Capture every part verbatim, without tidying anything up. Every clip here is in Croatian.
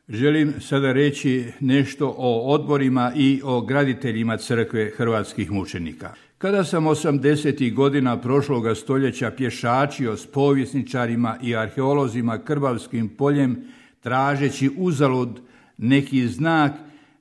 Želim sada reći nešto o odborima i o graditeljima crkve hrvatskih mučenika. Kada sam osamdesetih godina prošloga stoljeća pješačio s povjesničarima i arheolozima Krbavskim poljem, tražeći uzalud neki znak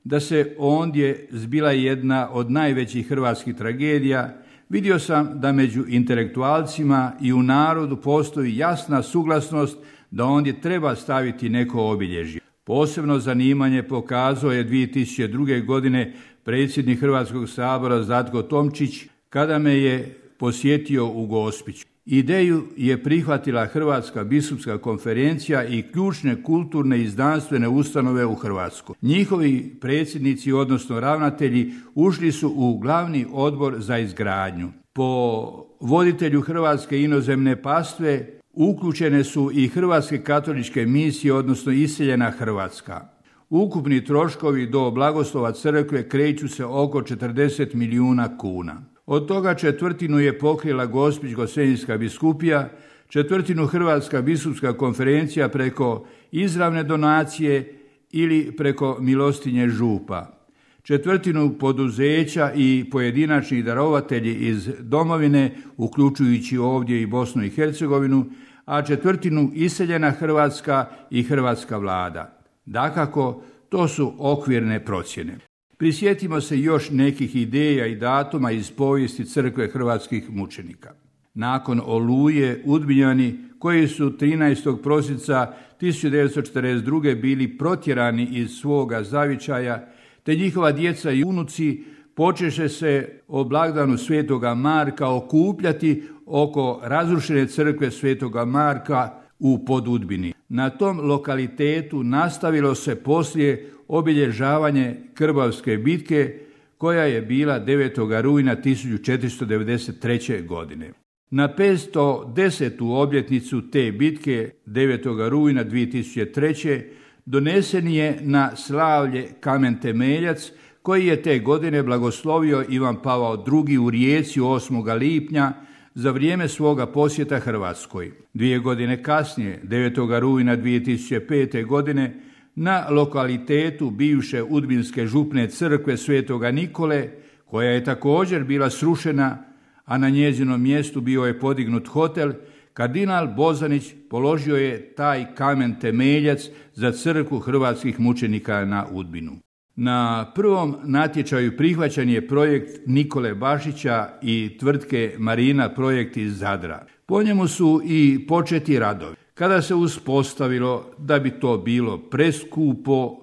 da se ondje zbila jedna od najvećih hrvatskih tragedija, vidio sam da među intelektualcima i u narodu postoji jasna suglasnost da ondje treba staviti neko obilježje. Posebno zanimanje pokazao je dvije tisuće druge. godine predsjednik Hrvatskog sabora Zlatko Tomčić kada me je posjetio u Gospiću. Ideju je prihvatila Hrvatska biskupska konferencija i ključne kulturne i znanstvene ustanove u Hrvatskoj. Njihovi predsjednici, odnosno ravnatelji, ušli su u glavni odbor za izgradnju. Po voditelju Hrvatske inozemne pastve uključene su i hrvatske katoličke misije, odnosno iseljena Hrvatska. Ukupni troškovi do blagoslova crkve kreću se oko četrdeset milijuna kuna. Od toga četvrtinu je pokrila Gospić-Gosenjska biskupija, četvrtinu Hrvatska biskupska konferencija preko izravne donacije ili preko milostinje župa, četvrtinu poduzeća i pojedinačni darovatelji iz domovine, uključujući ovdje i Bosnu i Hercegovinu, a četvrtinu iseljena Hrvatska i hrvatska vlada. Dakako, to su okvirne procjene. Prisjetimo se još nekih ideja i datuma iz povijesti crkve hrvatskih mučenika. Nakon Oluje, Udbinjani, koji su trinaestog prosinca tisuću devetsto četrdeset druge. bili protjerani iz svoga zavičaja, te njihova djeca i unuci počeše se o blagdanu Svetoga Marka okupljati oko razrušene crkve Svetoga Marka u Podudbini. Na tom lokalitetu nastavilo se poslije obilježavanje Krbavske bitke koja je bila devetog rujna tisuću četiristo devedeset treće. godine. Na petsto desetu obljetnicu te bitke devetog rujna dvije tisuće treće. donesen je na slavlje kamen temeljac koji je te godine blagoslovio Ivan Pavao drugi. u Rijeci osmog lipnja za vrijeme svoga posjeta Hrvatskoj. Dvije godine kasnije, devetog rujna dvije tisuće pete. godine, na lokalitetu bivše udbinske župne crkve Svetoga Nikole, koja je također bila srušena, a na njezinom mjestu bio je podignut hotel, kardinal Bozanić položio je taj kamen temeljac za crkvu hrvatskih mučenika na Udbinu. Na prvom natječaju prihvaćen je projekt Nikole Bašića i tvrtke Marina projekt iz Zadra. Po njemu su i početi radovi. Kada se uspostavilo da bi to bilo preskupo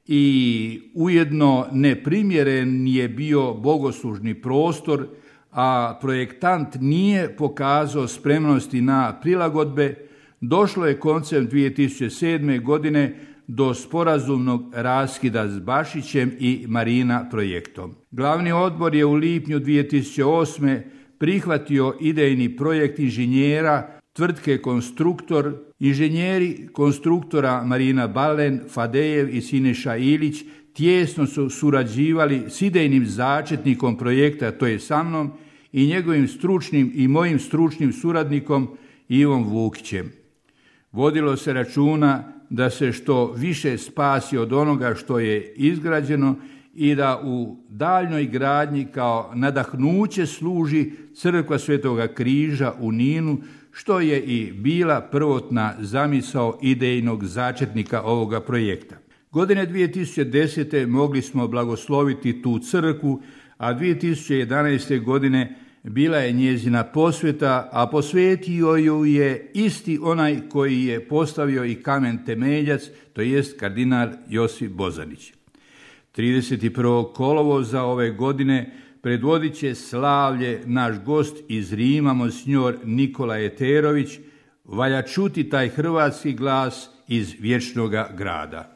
i ujedno neprimjeren je bio bogoslužni prostor, a projektant nije pokazao spremnosti na prilagodbe, došlo je koncem dvije tisuće sedme. godine do sporazumnog raskida s Bašićem i Marina projektom. Glavni odbor je u lipnju dvije tisuće osme. prihvatio idejni projekt inženjera tvrtke Konstruktor. Inženjeri konstruktora Marina Balen, Fadejev i Siniša Ilić tijesno su surađivali s idejnim začetnikom projekta, to je sa mnom, i njegovim stručnim i mojim stručnim suradnikom Ivom Vukićem. Vodilo se računa da se što više spasi od onoga što je izgrađeno i da u daljnjoj gradnji kao nadahnuće služi crkva Svetoga Križa u Ninu, što je i bila prvotna zamisao idejnog začetnika ovoga projekta. Godine dvije tisuće desete. mogli smo blagosloviti tu crkvu, a dvije tisuće jedanaeste. godine bila je njezina posveta, a posvetio ju je isti onaj koji je postavio i kamen temeljac, to jest kardinal Josip Bozanić. trideset prvog kolovoza ove godine predvodit će slavlje naš gost iz Rima, monsignor Nikola Eterović. Valja čuti taj hrvatski glas iz vječnoga grada.